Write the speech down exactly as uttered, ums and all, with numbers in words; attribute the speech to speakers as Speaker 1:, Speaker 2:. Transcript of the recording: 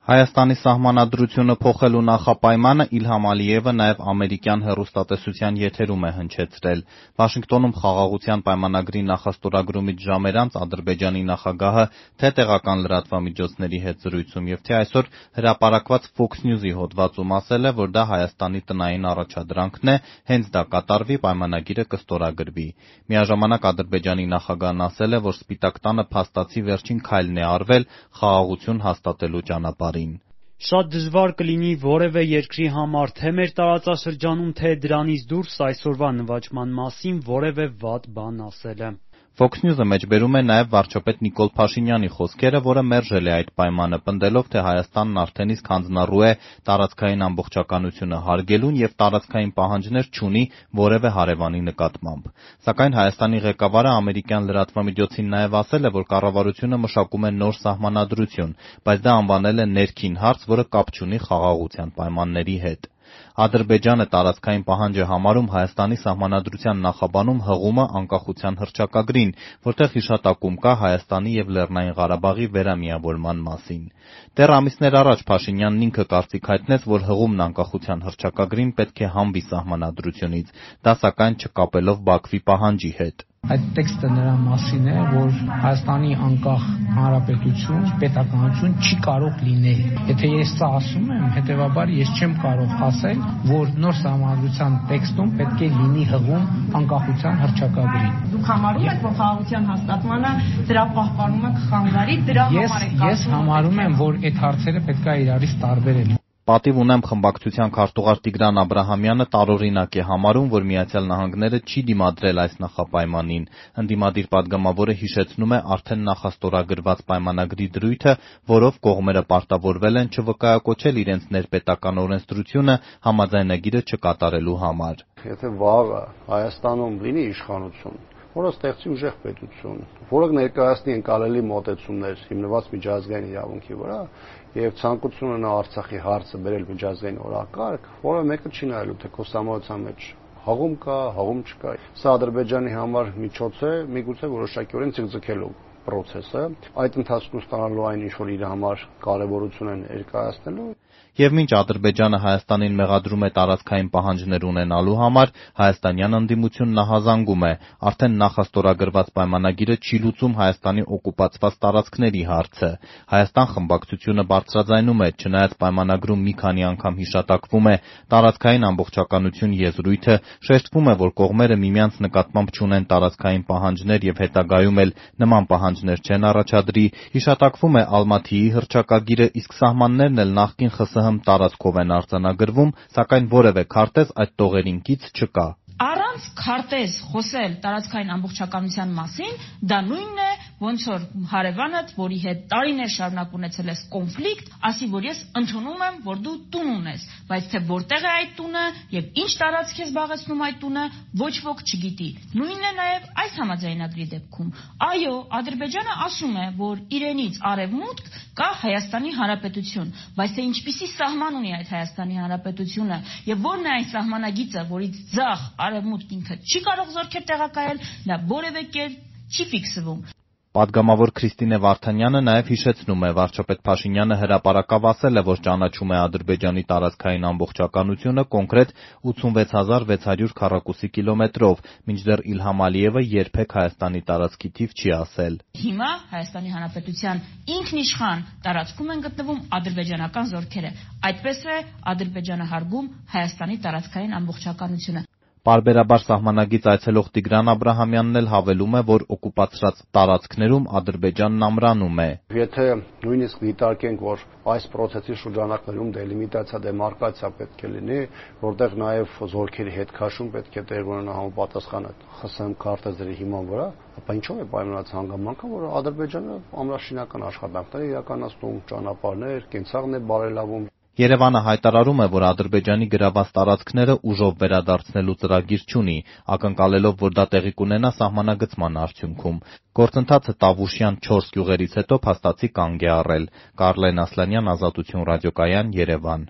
Speaker 1: Հայաստանի սահմանադրությունը փոխելու նախապայմանը Իլհամ Ալիևը նաև ամերիկյան հեռուստատեսության եթերում է հնչեցրել։ Վաշինգտոնում Խաղաղության պայմանագրի նախաստորագրումից ժամեր անց Ադրբեջանի նախագահը թե տեղական լրատվամիջոցների հետ զրույցում և թե այսօր հրապարակված Fox News-ի հոդվածում ասել է, որ դա Հայաստանի տնային առաջադրանքն է, հենց դա կատարվի, պայմանագիրը կստորագրվի։ Միաժամանակ Ադրբեջանի նախագահն ասել է, որ Սպիտակ տանը փաստացի վերջին քայլն է արվել խաղաղություն հաստատելու ճանապարհին։
Speaker 2: Շատ դժվար կլինի որևէ երկրի համար թե մեր տարածաշրջանում, թե դրանից դուրս այսօրվա նվաճման մասին որևէ վատ բան ասելը։
Speaker 1: Fox News-ը մեջբերում է նաև վարչապետ Նիկոլ Փաշինյանի խոսքերը, որը մերժել է այդ պայմանը, պնդելով, թե Հայաստանն արդեն իսկ հանձնառու է տարածքային ամբողջականությունը հարգելուն և տարածքային պահանջներ չունի որևէ հարևանի նկատմամբ։ Սակայն Հայաստանի ղեկավարը ամերիկյան լրատվամիջոցին նաև ասել է, որ կառավարությունը մշակում է նոր սահմանադրություն, բայց դա անվանել է ներքին հարց, որը կապ չունի խաղաղության պայմանների հետ։ Ադրբեջանը տարածքային պահանջ է համարում Հայաստանի սահմանադրության նախաբանում հղումը անկախության հռչակագրին, որտեղ հիշատակում կա Հայաստանի և Լեռնային Ղարաբաղի վերամիավորման մասին։ Դեռ ամիսներ առաջ Փաշինյանն ինքը կարծիք հայտնեց, որ հղումն անկախության հռչակագրին պետք է հանվի սահմանադրությունից, դա սակայն չկապելով Բաքվի պահանջի հետ։
Speaker 3: Այդ տեքստը նրա մասին է, որ Հայաստանի անկախ հանրապետություն, պետականություն չի կարող լինել։ Եթե ես սա ասում եմ, հետևաբար ես չեմ կարող ասել, որ նոր սահմանադրության տեքստում պետք է լինի հղում անկախության հռչակագրին։
Speaker 4: Դուք համարում եք, որ խաղաղության հաստատմանը դրա պահպանումը կխանգարի, դրա համար եք
Speaker 3: ասում։ Ես համարում եմ, որ այդ հարցերը պետք է իրարից տարբերել։
Speaker 1: Պատիվ ունեմ խմբակցության քարտուղար Տիգրան Աբրահամյանը տարօրինակ է համարում, որ Միացյալ Նահանգները չի դիմադրել այս նախապայմանին։ Ընդդիմադիր պատգամավորը հիշեցնում է արդեն նախաստորագրված պայմանագրի դրույթը, որով կողմերը պարտավորվել են չվկայակոչել իրենց ներպետական օրենսդրությունը համաձայնագիրը չկատարելու համար։
Speaker 5: Եթե վաղը Հայաստանում լինի իշխանություն, որը ստեղծի ուժեղ պետություն, որը ներկայացնի ընկալելի մոտեցումներ հիմնված միջազգային իրավունքի վրա եւ ցանկություն ունենա Արցախի հարցը բերել միջազգային օրակարգ, որը մեկը չի նայելու, թե քո սահմանության մեջ հղում կա, հղում չկա։ Սա Ադրբեջանի համար միջոց է, միգուցե որոշակիորեն ցկցկելու process-ը, այդ ընթացքում ստանալու այն ինչ որ իր համար կարևորություն են ներկայացնելու։
Speaker 1: Եվ մինչ Ադրբեջանը Հայաստանին մեղադրում է տարածքային պահանջներ ունենալու համար, հայաստանյան ընդդիմությունն նահազանգում է, արդեն նախաստորագրված պայմանագիրը չի լուծում Հայաստանի օկուպացված տարածքների հարցը։ Հայաստան խմբակցությունը բարձրաձայնում է, չնայած պայմանագրում մի քանի անգամ հիշատակվում է տարածքային ամբողջականություն եզրույթը, շեշտվում է, որ կողմերը միմյանց նկատմամբ չունեն տարածքային պահանջներ և հետագայում էլ նման պահանջներ չեն առաջադրի, հիշատակվում է Ալմաթիի հռչակագիրը, իսկ սահմաններն էլ նախկին ԽՍՀՄ տարածքով են արձանագրվում, սակայն որևէ քարտեզ այդ տողերին կից չկա։
Speaker 4: Առանց քարտեզ խոսել տարածքային ամբողջականության մասին, դա նույնն է, ոնց որ հարևանդ, որի հետ տարիներ շարունակ ունեցել ես կոնֆլիկտ, ասի, որ ես ընդունում եմ, որ դու տուն ունես, բայց թե որտեղ է այդ տունը եւ ինչ տարածք է զբաղեցնում այդ տունը, ոչ ոք չգիտի։ Նույնն է նաեւ այս համաձայնագրի դեպքում։ Այո, Ադրբեջանը ասում է, որ իրենից արևմուտք կա Հայաստանի Հանրապետություն, բայց թե ինչպիսի սահման ունի այդ Հայաստանի Հանրապետությունը եւ որն է այն սահմանագիծը, որից ձախ արևմուտք ինքը չի կարող զորքեր տեղակայել, դա որևէ կերպ չի ֆիքսվում։
Speaker 1: Պատգամավոր Քրիստինե Վարդանյանը նաև հիշեցնում է, վարչապետ Փաշինյանը հրապարակավ ասել է, որ ճանաչում է Ադրբեջանի տարածքային ամբողջականությունը կոնկրետ ութսունվեց հազար վեց հարյուր քառակուսի կիլոմետրով, մինչդեռ Իլհամ Ալիևը երբեք Հայաստանի տարածքի թիվ չի ասել։
Speaker 4: Հիմա Հայաստանի Հանրապետության ինքնիշխան տարածքում են գտնվում ադրբեջանական զորքերը։ Այդպես է Ադրբեջանը հարգում Հայաստանի տարածքային ամբողջականությունը։
Speaker 1: Պարբերաբար սահմանագիծ այցելող Տիգրան Աբրահամյանն էլ հավելում է, որ օկուպացրած տարածքներում Ադրբեջանն ամրանում է։
Speaker 5: Եթե նույնիսկ դիտարկենք, որ այս process-ի շրջանակներում դելիմիտացիա, դեմարկացիա պետք է լինի, որտեղ նաև զորքերի հետ քաշում պետք է տեղ ունենա համապատասխան ԽՍՀՄ քարտեզների հիման վրա, ապա ինչով է պայմանավորված հանգամանքը, որ Ադրբեջանը ամրաշինական աշխատանքներ է իրականացնում, ճանապարհներ, կենցաղն է բարելավում։
Speaker 1: Երևանը հայտարարում է, որ Ադրբեջանի գրաված տարածքները ուժով վերադարձնելու ծրագիր չունի, ակնկալելով, որ դա տեղի կունենա սահմանագծման արդյունքում։ Գործընթացը Տավուշյան չորս գյուղերից հետո փաստացի կանգ է առել։ Կարլեն Ասլանյան, Ազատություն ռադիոկայան, Երևան։